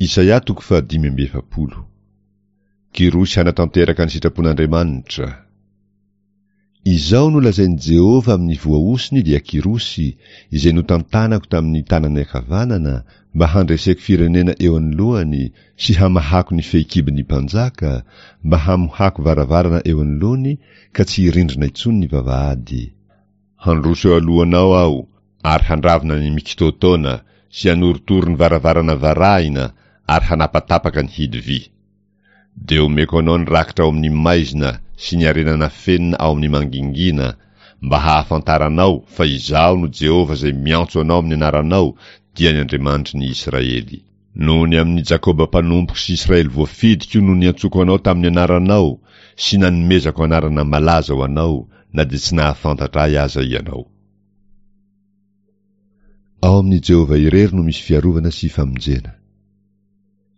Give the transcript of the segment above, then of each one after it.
Isaia toko faha 45. Kyrosy hanatanteraka ny sitrapon'Andriamanitra. Izao no lazain'i Jehovah amin'ny voahosony dia Kyrosy, izay notantanako tamin'ny tanany ankavanana mba handreseko firenena eo anoloany sy hamahako ny fehikibon'ny mpanjaka, mba hamohako varavarana eo anoloany ka tsy hirindrina intsony ny vavahady. Handroso eo alohanao aho ary handravona ny mikitoatoana sy hanorotoro ny varavarana varahina ary hanapatapaka ny hidy vy. Dia omeko anao ny rakitra ao amin'ny maizina sy ny harena nafenina ao amin'ny mangingina, mba hahafantaranao fa Izaho no Jehovah izay miantso anao amin'ny anaranao, dia ny Andriamanitry ny Israely. Noho ny amin'i Jakoba mpanompoko sy Israely voafidiko no niantsoako anao tamin'ny anaranao sy nanomezako anarana malaza ho anao, na dia tsy nahafantatra ahy aza ianao. Ao amin'i Jehovah irery no misy fiarovana sy famonjena.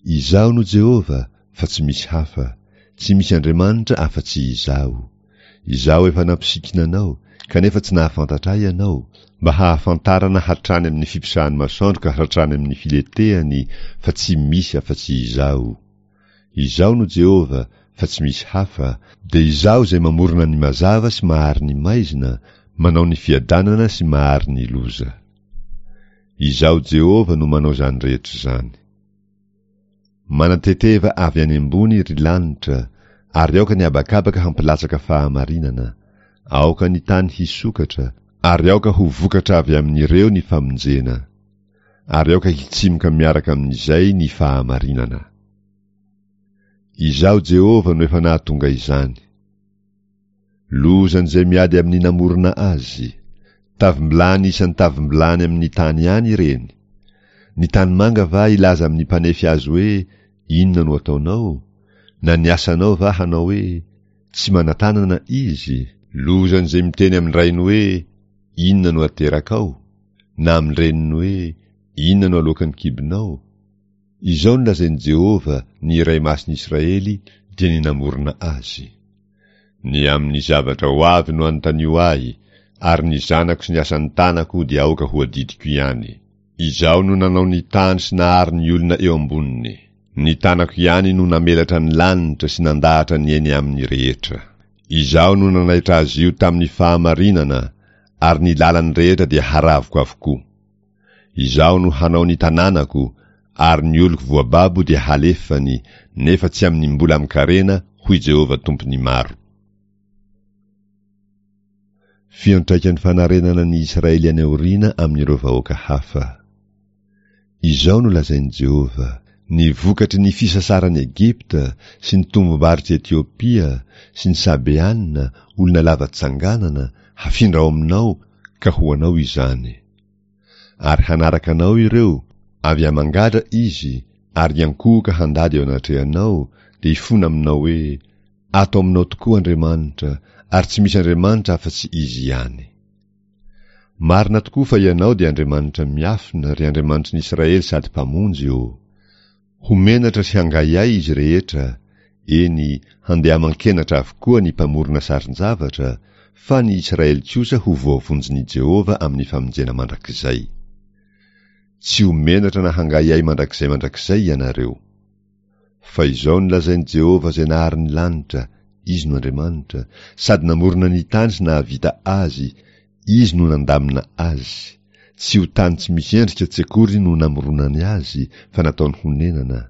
Izaho no Jehovah, fa tsy misy hafa, tsy misy Andriamanitra afa-tsy Izaho. Izaho efa nampisikina anao, kanefa tsy nahafantatra Ahy ianao, mba hahafantarana hatrany amin'ny fiposahan'ny masoandro ka hatrany amin'ny filetehany fa tsy misy afa-tsy Izaho. Izaho no Jehovah, fa tsy misy hafa, dia Izaho izay mamorona ny mazava sy mahary ny maizina, manao ny fiadanana sy mahary ny loza. Izaho Jehovah no manao izany rehetra izany. Manateteva avy any ambony, ry lanitra, ary aoka ny habakabaka hampilatsaka fahamarinana. Aoka ny tany hisokatra, ary aoka ho vokatra avy amin'ireo ny famonjena. Ary aoka hitsimoka miaraka amin'izay ny fahamarinana. Izaho Jehovah no efa nahatonga izany. Lozan'izay miady amin'ny namorona azy. Tavim-bilany isan'ny tavim-bilany amin'ny tany ihany ireny. Ny tanimanga va hilaza amin'ny mpanefy azy hoe, Inona no ataonao? Na ny asanao va hanao hoe, Tsy manan-tanana izy? Lozan'izay miteny amin-drainy hoe, Inona no aterakao? Na amin-dreniny hoe, Inona no aloakan'ny kibonao? Izao no lazain'i Jehovah, ny Iray Masin'ny Israely, dia ny namorona azy. Ny amin'ny zavatra ho avy no anontanio ahy, ary ny zanako sy ny asan'ny tanako dia aoka ho adidiko ihany. Izaho no nanao ny tany sy nahary ny olona eo amboniny. Ny tanako ihany no namelatra ny lanitra sy nandahatra ny eny aminy rehetra. Izaho no nanaitra azy io tamin'ny fahamarinana, ary ny lalany rehetra dia haravoko avokoa. Izaho no hanao ny tanànako, ary ny oloko voababo dia halefany, nefa tsy amin'ny mbola amin-karena, hoy Jehovah Tompon'ny maro. Fiantraikan'ny fanarenana ny Israely any aoriana amin'ireo vahoaka hafa. Izao no lazain'i Jehovah, Ny vokatry ny fisasaran'i Egypta sy ny tombom-barotr'i Etiopia sy ny Sabeana, olona lava tsanganana, hafindra ao aminao, ka ho anao izany. Ary hanaraka anao ireo, avy aman-gadra izy, ary hiankohoka handady eo anatrehanao, dia hifona aminao hoe, Ato aminao tokoa Andriamanitra, ary tsy misy Andriamanitra afa-tsy Izy ihany. Marina tokoa fa Ianao dia Andriamanitra miafina, ry Andriamanitry ny Israely sady Mpamonjy ô! Ho menatra sy hangahiahy izy rehetra, eny, handeha aman-kenatra avokoa ny mpamorona sarin-javatra, fa ny Israely kosa ho voavonjin'i Jehovah amin'ny famonjena mandrakizay. Tsy ho menatra na hangahiahy mandrakizay mandrakizay ianareo. Fa izao no lazain'i Jehovah izay nahary ny lanitra, Izy no Andriamanitra, sady namorona ny tany sy nahavita azy, Izy no nandamina azy. Tsy ho tany tsy misy endrika tsy akory no namoronany azy, fa nataony honenana.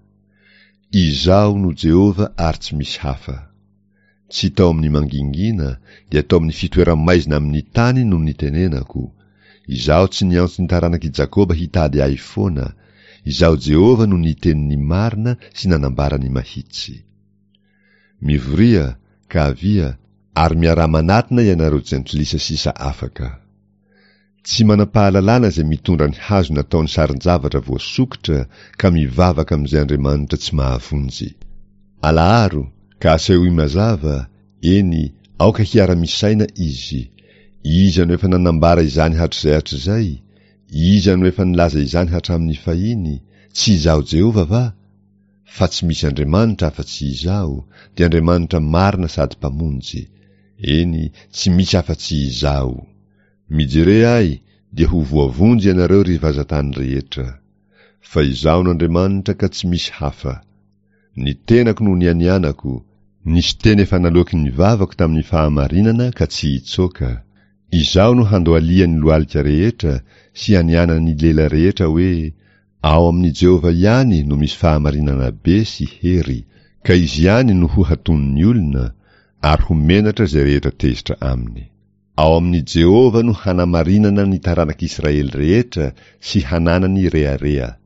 Izaho no Jehovah ary tsy misy hafa. Tsy tao amin'ny mangingina, dia tao amin'ny fitoera-maizina amin'ny tany no nitenenako. Izaho tsy niantso ny taranak'i Jakoba hitady ahy foana. Izaho Jehovah no niteny ny marina sy nanambara ny mahitsy. Mivoria, ka avia, ary miaraha manatona ianareo jentilisa sisa afaka. Tsy manam-pahalalana izay mitondra ny hazo nataony sarin-javatra voasokitra ka mivavaka amin'izay andriamanitra tsy mahavonjy. Alaharo, ka asehoy mazava, eny, aoka hiara-misaina izy. Iza no efa nanambara izany hatrizay hatrizay? Iza no efa nilaza izany hatramin'ny fahiny? Tsy Izaho Jehovah va? Fa tsy misy Andriamanitra afa-tsy Izaho, dia Andriamanitra marina sady Mpamonjy. Eny, tsy misy afa-tsy Izaho. Mijere Ahy, dia ho voavonjy ianareo ry vazantany rehetra. Fa Izaho no Andriamanitra ka tsy misy hafa. Ny tenako no nianianako, nisy teny efa naloaky ny vavako tamin'ny fahamarinana ka tsy hitsoaka. Izaho no handohalihan'ny lohalika rehetra sy hanianan'ny lela rehetra hoe, Ao amin'i Jehovah ihany no misy fahamarinana be sy hery, ka izy ihany no ho hatonin'ny olona, ary ho menatra izay rehetra tezitra aminy. Ao amin'i Jehovah no hanamarinana ny taranak'Israely rehetra sy hananany rehareha.